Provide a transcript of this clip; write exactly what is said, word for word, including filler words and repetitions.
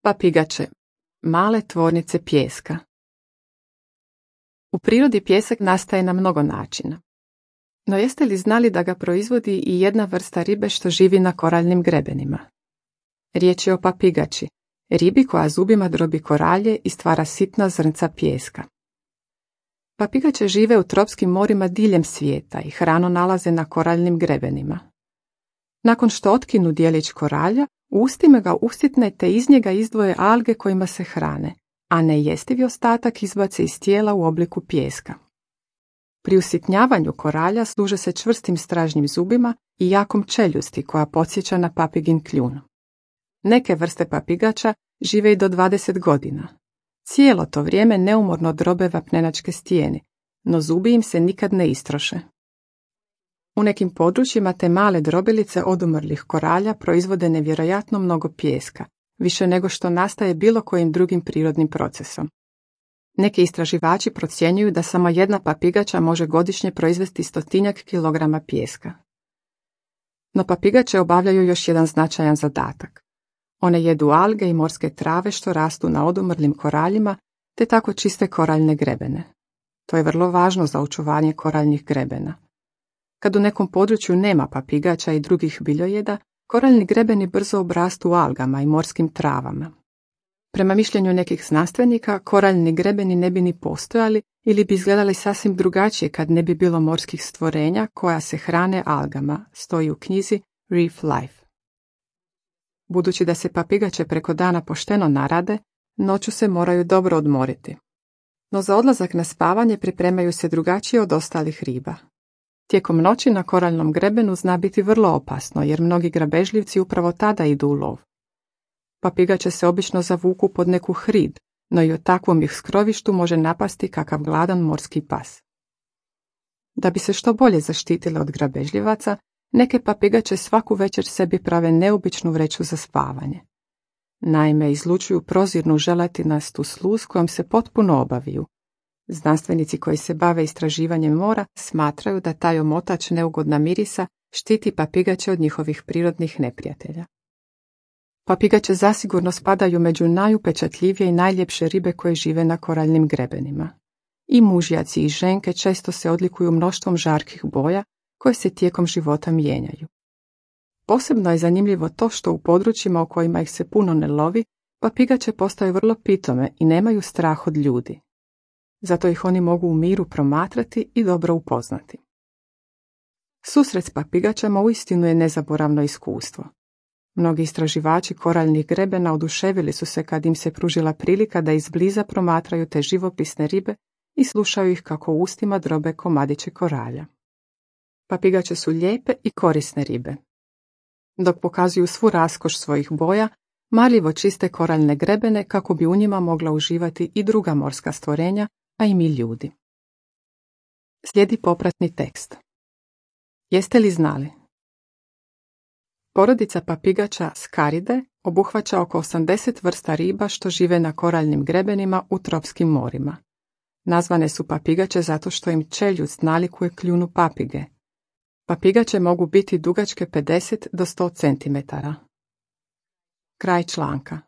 Papigače, male tvornice pijeska. U prirodi pijesak nastaje na mnogo načina. No jeste li znali da ga proizvodi i jedna vrsta ribe što živi na koraljnim grebenima? Riječ je o papigači, ribi koja zubima drobi koralje i stvara sitna zrnca pijeska. Papigače žive u tropskim morima diljem svijeta i hranu nalaze na koraljnim grebenima. Nakon što otkinu dijelić koralja, u ustima ga usitne te iz njega izdvoje alge kojima se hrane, a nejestivi ostatak izbace iz tijela u obliku pijeska. Pri usitnjavanju koralja služe se čvrstim stražnjim zubima i jakom čeljusti koja podsjeća na papigin kljun. Neke vrste papigača žive i do dvadeset godina. Cijelo to vrijeme neumorno drobe vapnenačke stijene, no zubi im se nikad ne istroše. U nekim područjima te male drobilice odumrlih koralja proizvode nevjerojatno mnogo pijeska, više nego što nastaje bilo kojim drugim prirodnim procesom. Neki istraživači procjenjuju da samo jedna papigača može godišnje proizvesti stotinjak kilograma pijeska. No papigače obavljaju još jedan značajan zadatak. One jedu alge i morske trave što rastu na odumrlim koraljima, te tako čiste koraljne grebene. To je vrlo važno za očuvanje koraljnih grebena. Kad u nekom području nema papigača i drugih biljojeda, koraljni grebeni brzo obrastu algama i morskim travama. Prema mišljenju nekih znanstvenika, koraljni grebeni ne bi ni postojali ili bi izgledali sasvim drugačije kad ne bi bilo morskih stvorenja koja se hrane algama, stoji u knjizi Reef Life. Budući da se papigače preko dana pošteno narade, noću se moraju dobro odmoriti. No za odlazak na spavanje pripremaju se drugačije od ostalih riba. Tijekom noći na koraljnom grebenu zna biti vrlo opasno, jer mnogi grabežljivci upravo tada idu u lov. Papigače se obično zavuku pod neku hrid, no i u takvom ih skrovištu može napasti kakav gladan morski pas. Da bi se što bolje zaštitile od grabežljivaca, neke papigače svaku večer sebi prave neobičnu vreću za spavanje. Naime, izlučuju prozirnu želatinastu sluz kojom se potpuno obaviju. Znanstvenici koji se bave istraživanjem mora smatraju da taj omotač neugodna mirisa štiti papigače od njihovih prirodnih neprijatelja. Papigače zasigurno spadaju među najupečatljivije i najljepše ribe koje žive na koraljnim grebenima. I mužjaci i ženke često se odlikuju mnoštvom žarkih boja koje se tijekom života mijenjaju. Posebno je zanimljivo to što u područjima u kojima ih se puno ne lovi, papigače postaju vrlo pitome i nemaju strah od ljudi. Zato ih oni mogu u miru promatrati i dobro upoznati. Susret s papigačama uistinu je nezaboravno iskustvo. Mnogi istraživači koraljnih grebena oduševili su se kad im se pružila prilika da izbliza promatraju te živopisne ribe i slušaju ih kako u ustima drobe komadiće koralja. Papigače su lijepe i korisne ribe. Dok pokazuju svu raskoš svojih boja, marljivo čiste koraljne grebene kako bi u njima mogla uživati i druga morska stvorenja, a i mi ljudi. Slijedi popratni tekst. Jeste li znali? Porodica papigača Skaride obuhvaća oko osamdeset vrsta riba što žive na koraljnim grebenima u tropskim morima. Nazvane su papigače zato što im čeljust nalikuje kljunu papige. Papigače mogu biti dugačke pedeset do sto centimetara. Kraj članka.